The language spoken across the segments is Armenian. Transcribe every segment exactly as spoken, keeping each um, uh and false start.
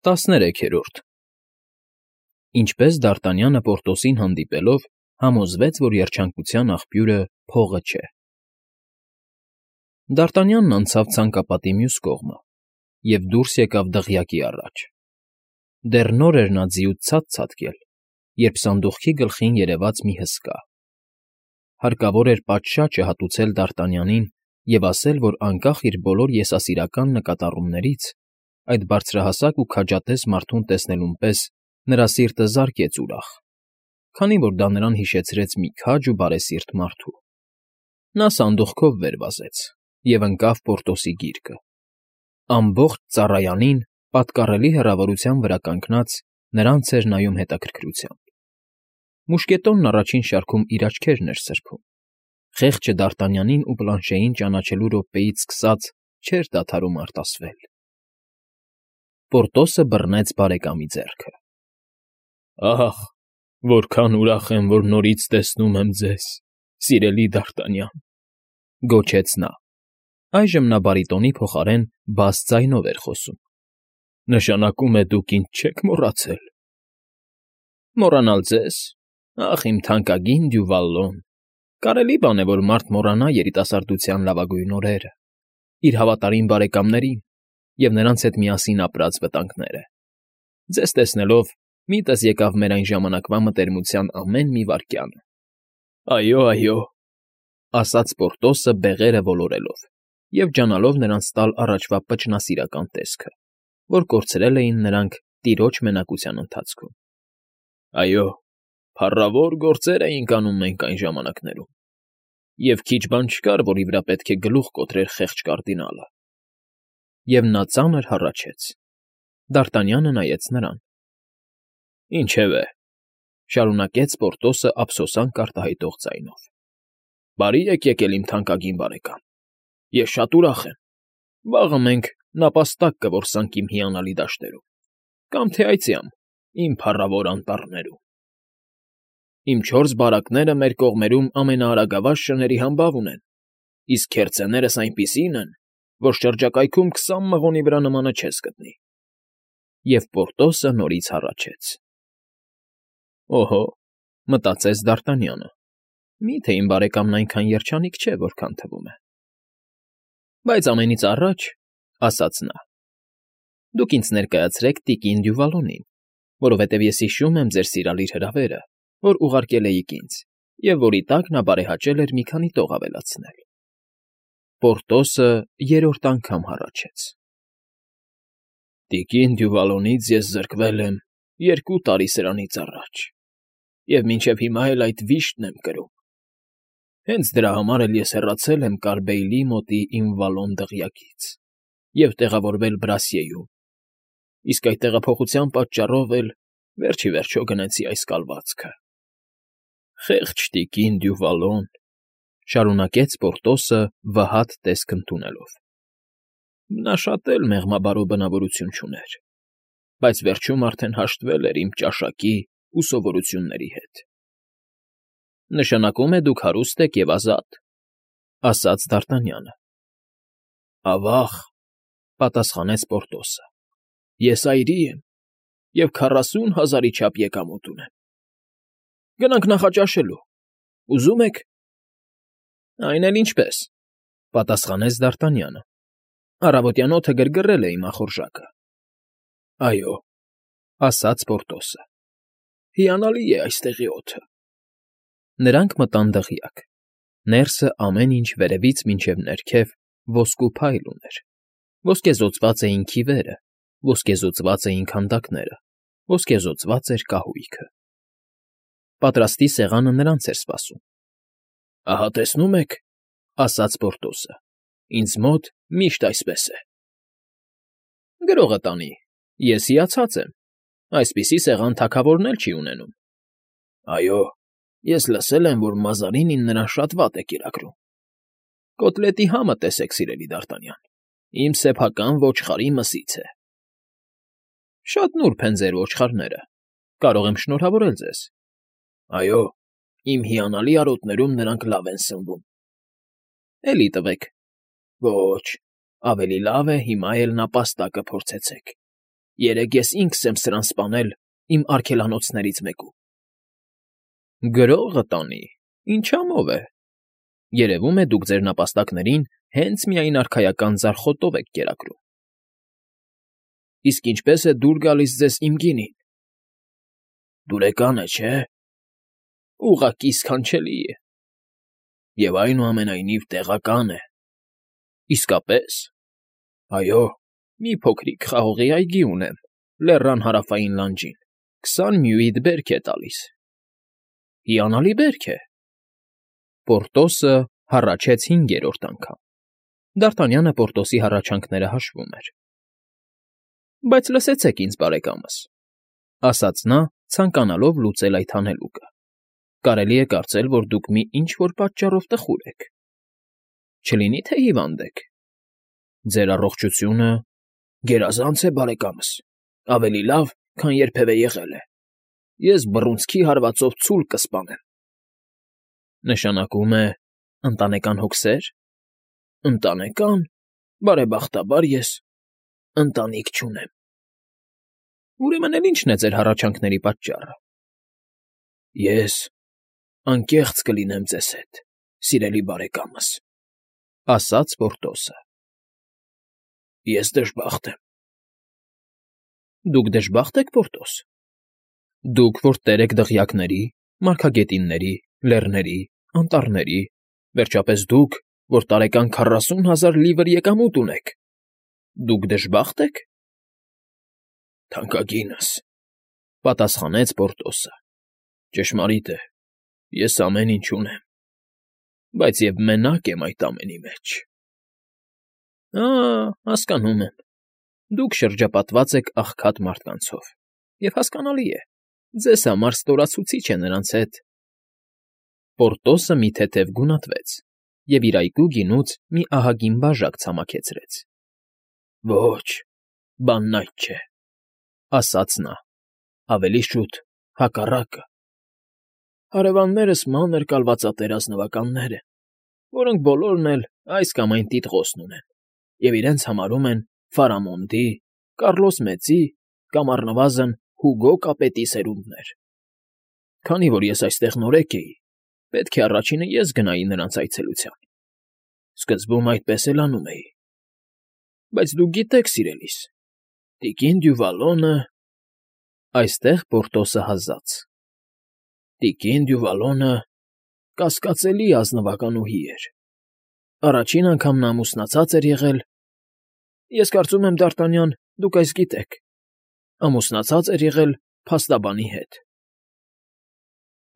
տասներեքերորդ Ինչպես Դարտանյանը Պորտոսին հանդիպելով համոզվեց, որ երջանկության աղբյուրը փողը չէ։ Դարտանյանն անցավ ցանկապատի մյուս կողմը և դուրս եկավ դղյակի առաջ. դեռ նոր էր նա ձիուց ցած ցատկել, երբ սանդուղքի գլխին երևաց մի հսկա. հարկավոր էր պատշաճը հատուցել Դարտանյանին և ասել, որ անկախ իր բոլոր եսասիրական նկատառումներից, այդ բարձրահասակ ու քաջատես մարդուն տեսնելուն պես նրա սիրտը զարկեց ուրախ, քանի որ դա նրան հիշեցրեց մի քաջ ու բարեսիրտ մարդու։ Նա սանդուղքով վեր վազեց և ընկավ Պորտոսի գիրկը. ամբողջ ծառայանին, պատկառելի հեռավորության վրա կանգնած, նրանց էր նայում հետաքրքրությամբ։ Մուշկետոնն առաջին շարքում իր աչքերն էր սրբում, խեղճը Դարտանյանին ու Պլանշեին ճանաչելու րոպեից սկսած չէր դադարում արտասվել։ Պորտոսը բռնեց բարեկամի ձեռքը. Ահ, որքան ուրախ եմ, որ նորից տեսնում եմ ձեզ, սիրելի Դարտանյան, գոչեց նա. այժմ նա բարիտոնի փոխարեն բաս ձայնով էր խոսում. նշանակում է դուք ինձ չեք մոռացել։ Մոռանալ ձեզ, ախ, իմ թանկագին Դյուվալլոն, կարելի բան է, որ մարդ մոռանա երիտասարդության լավագույն օրերը, իր հավատարիմ բարեկամներին և նրանց հետ միասին ապրած վտանգները։ Ձեզ տեսնելով միտս եկավ մեր այն ժամանակվա մտերմության ամեն մի վայրկյանը։ Այո, այո, ասաց Պորտոսը բեղերը ոլորելով և ջանալով նրանց տալ առաջվա պճնասիրական տեսքը, որ կորցրել էին նրանք տիրոջ մենակության ընթացքում։ Այո, փառավոր գործեր էինք անում մենք այն ժամանակներում, և քիչ բան չկար, որի վրա պետք է գլուխ կոտրեր խեղճ կարդինալը։ Եվ նա ծանր հառաչեց։ Դարտանյանը նայեց նրան։ Ինչևէ, շարունակեց Պորտոսը ափսոսանք արտահայտող ձայնով. բարի եք եկել, իմ թանկագին բարեկամ, ես շատ ուրախ եմ։ Վաղը մենք նապաստակ կորսանք իմ հիանալի դաշտերում, կամ թե այցյամ, իմ փառավոր անտառներում։ Իմ չորս բարակները մեր կողմերում ամենաարագավազ շների համբավ ունեն, իսկ քերծեներս այնպիսին են, որ շրջակայքում քսան մղոնի վրա նմանը չես գտնի։ Եվ Պորտոսը նորից հառաչեց։ Օհո, մտածեց Դարտանյանը, մի՞թե իմ բարեկամն այնքան երջանիկ չէ, որքան թվում է։ Բայց ամենից առաջ, ասաց նա, դուք ինձ ներկայացրեք տիկին Դյուվալոնին, որովհետև ես հիշում եմ ձեր սիրալիր հրավերը, որ ուղարկել էիք ինձ, և որի տակ նա բարեհաճել էր մի քանի տող ավելացնել։ Պորտոսը երրորդ անգամ հառաչեց. Տիկին Դյուվալոնից ես զրկվել եմ երկու տարի սրանից առաջ, և մինչև հիմա էլ այդ վիշտն եմ կրում։ Հենց դրա համար էլ ես հեռացել եմ Կարմբեիլի մոտի իմ Վալոն դղյակից և տեղավորվել Բրասիեում, իսկ այդ տեղափոխության պատճառով էլ վերջ ի վերջո գնեցի այս կալվածքը։ Խեղճ տիկին Դյուվալոն, շարունակեց Պորտոսը վհատ տեսք ընդունելով. նա շատ էլ մեղմաբարո բնավորություն չուներ, բայց վերջում արդեն հաշտվել էր իմ ճաշակի ու սովորությունների հետ։ Նշանակում է դուք հարուստ եք և ազատ, ասաց Դարտանյանը։ Ավա՜ղ, պատասխանեց Պորտոսը, ես այրի եմ և քառասուն հազարի չափ եկամուտ ունեմ։ Գնանք նախաճաշելու, ուզո՞ւմ եք։ Այն էլ ինչպես, պատասխանեց Դարտանյանը, առավոտյան օդը գրգռել է իմ ախորժակը։ Այո, ասաց Պորտոսը, հիանալի է այստեղի օդը։ Նրանք մտան դղյակ, ներսը ամեն ինչ վերևից մինչև ներքև ոսկու փայլ ուներ, ոսկեզօծված էին քիվերը, ոսկեզօծված էին քանդակները, ոսկեզօծված էր կահույքը։ Պատրաստի սեղանը նրանց էր սպասում։ Ահա տեսնում եք, ասաց Պորտոսը, ինձ մոտ միշտ այսպես է։ Գրողը տանի, ես հիացած եմ, այսպիսի սեղան թագավորն էլ չի ունենում։ Այո, ես լսել եմ, որ Մազարինին նրան շատ վատ է կերակրում։ Կոտլետի համը տեսեք, սիրելի Դարտանյան, իմ սեփական ոչխարի մսից է։ Շատ նուրբ են ձեր ոչխարները, կարող եմ շնորհավորել ձեզ։ Այո, իմ հիանալի արոտներում նրանք լավ են սնվում։ Էլի տվեք։ Ոչ, ավելի լավ է հիմա էլ նապաստակը փորձեցեք, Երեկ ես ինքս եմ սրան սպանել իմ արգելանոցներից մեկում։ Գրողը տանի, ինչամով է։ Երևում է, դուք ձեր նապաստակներին հենց միայն արքայական ձարխոտով եք կերակրում։ Իսկ ինչպե՞ս է դուր գալիս ձեզ իմ գինին։ Դուրեկան է, չէ՞։ Ուղղակի սքանչելի է։ Եվ այնուամենայնիվ տեղական է։ Իսկապես։ Այո, մի փոքրիկ խաղողի այգի ունեմ, լեռան հարավային լանջին, քսան մյուիդ բերք է տալիս։ Հիանալի բերք է։ Պորտոսը հառաչեց հինգերորդ անգամ։ Դ'Արտանյանը Պորտոսի հառաչանքները հաշվում էր։ Բայց լսեցեք ինձ, բարեկամս, ասաց նա, ցանկանալով լուծել այդ հանելուկը։ Կարելի է կարծել, որ դուք մի ինչ֊որ պատճառով տխուր եք։ Չլինի՞ թե հիվանդ եք։ Ձեր առողջությունը գերազանց է, բարեկամս, ավելի լավ, քան երբևէ եղել է։ Ես բռունցքի հարվածով ցուլ կսպանեմ։ Նշանակում է ընտանեկան հոգսե՞ր։ Ընտանեկան, բարեբախտաբար ես ընտանիք չունեմ։ Ուրեմն էլ ի՞նչն է ձեր հառաչանքների պատճառը։ Ես անկեղծ կլինեմ ձեզ հետ, սիրելի բարեկամս, ասաց Պորտոսը։ Ես դժբախտ եմ։ Դուք դժբախտ եք, Պորտոս։ Դուք, որ տեր եք դղյակների, մարգագետինների, լեռների, անտառների, վերջապես դուք, որ տարեկան քառասուն հազար լիվր եկամուտ ունեք, դուք դժբախտ եք։ Թանկագինս, պատասխանեց Պորտոսը։ Ճշմարիտ է, ես ամեն ինչ ունեմ, բայց և մենակ եմ այդ ամենի մեջ։ Ա՜, հասկանում եմ։ Դուք շրջապատված եք աղքատ մարդկանցով, և հասկանալի է, ձեզ համար ստորացուցիչ է նրանց հետ։ Պորտոսը մի թեթև գունատվեց և իր այգու գինուց մի ահագին բաժակ ցամաքեցրեց։ Ոչ, բանն այդ չէ, ասաց նա, ավելի շուտ հակառակը։ Հարևաններս մանր կալվածատեր ազնվականներ են, որոնք բոլորն էլ այս կամ այն տիտղոսն ունեն և իրենց համարում են Ֆարամոնդի, Կառլոս Մեծի կամ առնվազն Հուգո կապետի սերունդներ։ Քանի որ ես այստեղ նորեկ էի, պետք է առաջինը ես գնայի նրանց այցելության։ Սկզբում այդպես էլ անում էի։ Բայց դուք գիտեք, սիրելիս, տիկին Դյուվալոնը… Այստեղ Պորտոսը հազաց։ Տիկին Դյուվալոնը կասկածելի ազնվականուհի էր։ Առաջին անգամ նա ամուսնացած էր եղել… Ես կարծում եմ, Դ'Արտանյան, դուք այս գիտեք, ամուսնացած էր եղել փաստաբանի հետ։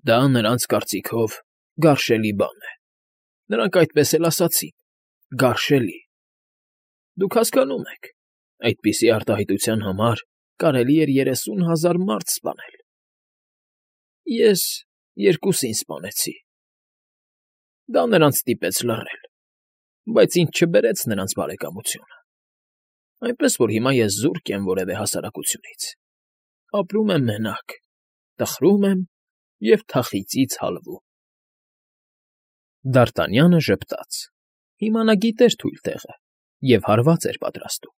Դա նրանց կարծիքով գարշելի բան է։ Նրանք այդպես էլ ասացին. գարշելի։ Դուք հասկանում եք, այդպիսի արտահայտության համար կարելի էր երեսուն հազար մարդ սպանել։ Ես երկուսին սպանեցի։ Դա նրանց ստիպեց լռել, բայց ինձ չբերեց նրանց բարեկամությունը։ Այնպես որ հիմա ես զուրկ եմ որևէ հասարակությունից։ Ապրում եմ մենակ, տխրում եմ և թախիծից հալվում։ Դ'Արտանյանը ժպտաց։ Հիմա նա գիտեր թույլ տեղը և հարված էր պատրաստում։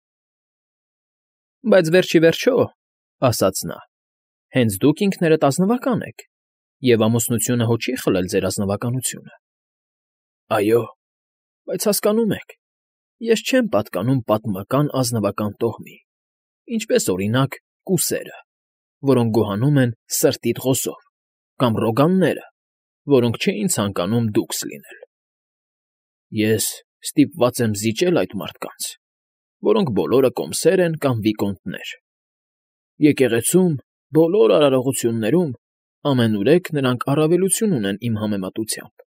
Բայց վերջ ի վերջո, ասաց նա, հենց դուք ինքներդ ազնվական եք, և ամուսնությունը հո չի խլել ձեր ազնվականությունը։ Այո, բայց հասկանում եք, ես չեմ պատկանում պատմական ազնվական տոհմի, ինչպես, օրինակ, կուսերը, որոնք գոհանում են սրտի տղոսով, կամ Ռոգանները, որոնք չէին ցանկանում դուքս լինել։ Ես ստիպված եմ զիջել այդ մարդկանց, որոնք բոլորը կոմսեր են կամ վիկոնտներ։ Եկեղեցում բոլոր արարողություններում ամենուրեք նրանք առավելություն ունեն իմ համեմատությամբ,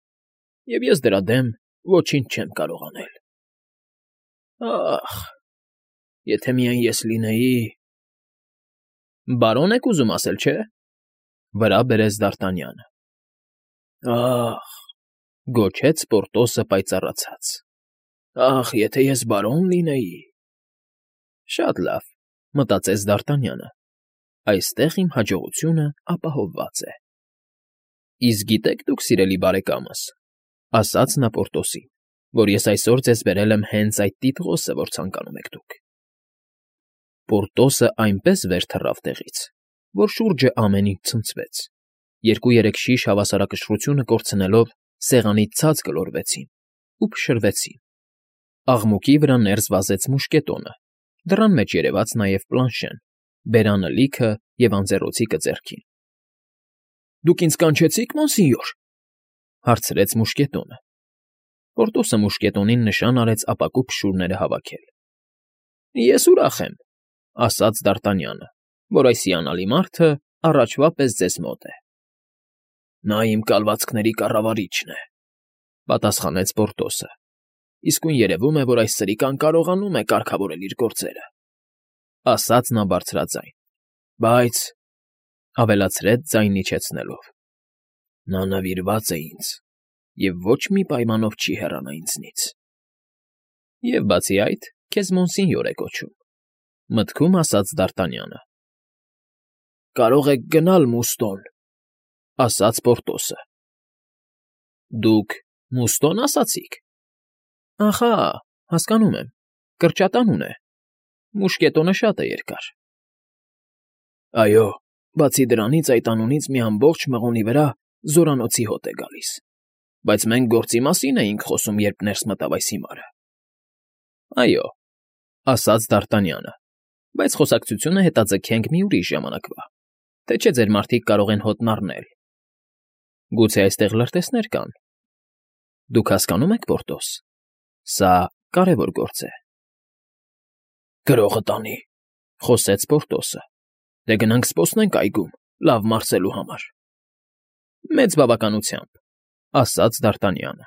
և ես դրա դեմ ոչինչ չեմ կարող անել։ Ախ, եթե միայն ես լինեի… Բարոն եք ուզում ասել, չէ՞, վրա բերեց Դ'Արտանյանը։ Ախ, գոչեց Պորտոսը պայծառացած։ Ախ, եթե ես բարոն լինեի… Շատ լավ, մտածեց Դ'Արտանյանը, այստեղ իմ հաջողությունը ապահովված է։ Իսկ գիտեք դուք, սիրելի բարեկամս, ասաց նա Պորտոսին, որ ես այսօր ձեզ բերել եմ հենց այդ տիտղոսը, որ ցանկանում եք դուք։ Պորտոսը այնպես վեր թռավ տեղից, որ շուրջը ամեն ինչ ցնցվեց, երկու֊երեք շիշ հավասարակշռությունը կորցնելով սեղանից ցած գլորվեցին ու փշրվեցին։ Աղմուկի վրա ներս վազեց մուշկետոնը, դռան մեջ երևաց նաև Պլանշեն, բերանը լիքը և անձեռոցիկը ձեռքին։ ֊ Դուք ինձ կանչեցի՞ք, մոնսինյոր,֊ հարցրեց մուշկետոնը։ Պորտոսը մուշկետոնին նշան արեց ապակու փշուրները հավաքել։ ֊ Ես ուրախ եմ,֊ ասաց Դ'Արտանյանը,֊ որ այս հիանալի մարդը առաջվա պես ձեզ մոտ է։ ֊ Նա իմ կալվածքների կառավարիչն է,֊ պատասխանեց Պորտոսը,֊ իսկույն երևում է, որ այս սրիկան կարողանում է կարգավորել իր գործերը,֊ ասաց նա բարձրաձայն,֊ բայց,֊ ավելացրեց ձայնն իջեցնելով,֊ նա նվիրված է ինձ և ոչ մի պայմանով չի հեռանա ինձնից։ ֊ Եվ բացի այդ, քեզ մոնսինյոր է կոչում,֊ մտքում ասաց Դ'Արտանյանը։ ֊ Կարող եք գնալ, Մուստո՛ն,֊ ասաց Պորտոսը։ ֊ Դուք Մուստո՞ն ասացիք։ ֊ Ախա, հասկանում եմ, կրճատանուն է, մուշկետոնը շատ է երկար։ ֊ Այո, բացի դրանից այդ անունից մի ամբողջ մղոնի վրա զորանոցի հոտ է գալիս, բայց մենք գործի մասին էինք խոսում, երբ ներս մտավ այս հիմարը։ ֊ Այո,֊ ասաց Դ'Արտանյանը,֊ բայց խոսակցությունը հետաձգենք մի ուրիշ ժամանակվա, թե չէ ձեր մարդիկ կարող են հոտն առնել։ Գուցե այստեղ լրտեսներ կան։ Դուք հասկանո՞ւմ եք, Պորտոս, սա կարևոր գործ է։ ֊ Գրողը տանի,֊ խոսեց Պորտոսը,֊ դե գնանք սպասենք այգում, լավ մարսելու համար։ ֊ Մեծ բավականությամբ,֊ ասաց Դ'Արտանյանը։